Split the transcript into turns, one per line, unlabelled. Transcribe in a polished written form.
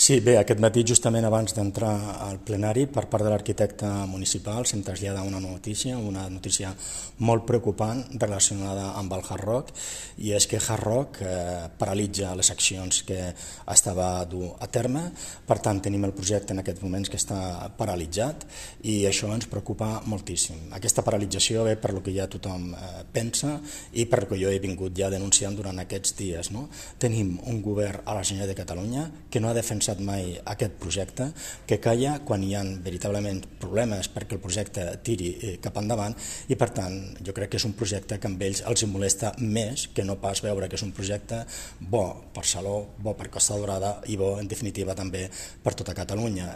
Sí, bé, aquest matí, justament abans d'entrar al plenari, per part de l'arquitecte municipal, se'm trasllada una notícia molt preocupant relacionada amb el Hard Rock, i és que Hard Rock paralitza les accions que estava a dur a terme. Per tant, tenim el projecte en aquests moments que està paralitzat i això ens preocupa moltíssim. Aquesta paralització ve per lo que ja tothom pensa i per lo que jo he vingut ja denunciant durant aquests dies. Tenim un govern a la Generalitat de Catalunya que no ha defensat mai aquest projecte, que calla quan hi ha veritablement problemes perquè el projecte tiri cap endavant, i per tant jo crec que és un projecte que amb ells els molesta més que no pas veure que és un projecte bo per Salou, bo per Costa Daurada i bo en definitiva també per tota Catalunya.